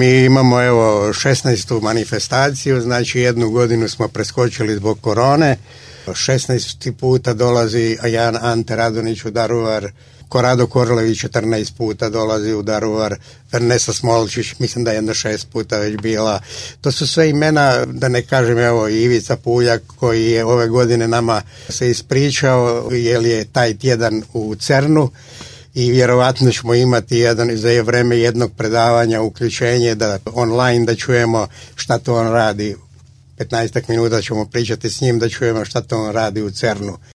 Mi imamo 16. manifestaciju, znači jednu godinu smo preskočili zbog korone. 16 puta dolazi Jan Ante Radonić u Daruvar, Korado Korlević 14 puta dolazi u Daruvar, Ernesta Smolčić, mislim da je jedno 6 puta već bila. To su sve imena, da ne kažem Ivica Puljak koji je ove godine nama se ispričao jer je taj tjedan u CERN-u i vjerovatno ćemo imati za vreme jednog predavanja uključenje da online da čujemo šta to on radi. 15 minuta ćemo pričati s njim da čujemo šta to on radi u CERN-u.